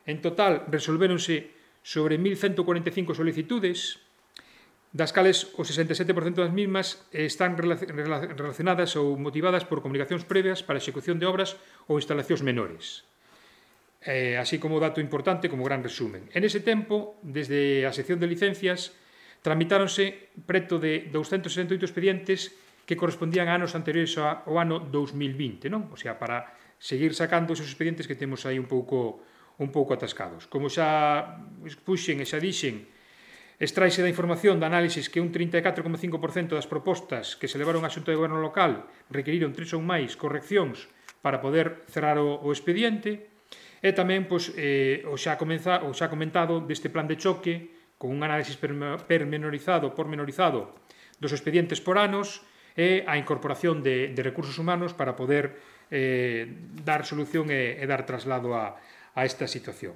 En total, resolvéronse sobre 1.145 solicitudes, das cales o 67% das mismas están relacionadas ou motivadas por comunicacións previas para a execución de obras ou instalacións menores. Así como dato importante, como gran resumen. En ese tempo, desde a sección de licencias, tramitáronse preto de 268 expedientes que correspondían a anos anteriores ao ano 2020, non? O sea, para seguir sacando esos expedientes que temos aí un pouco atascados. Como xa expuxen e xa dixen, extraise da información de análisis que un 34,5% das propostas que se levaron á Xunta de Goberno local requiriron 3 ou máis correccións para poder cerrar o expediente, e tamén o xa comentado deste plan de choque con un análisis pormenorizado dos expedientes por anos e a incorporación de recursos humanos para poder dar solución e dar traslado a esta situación.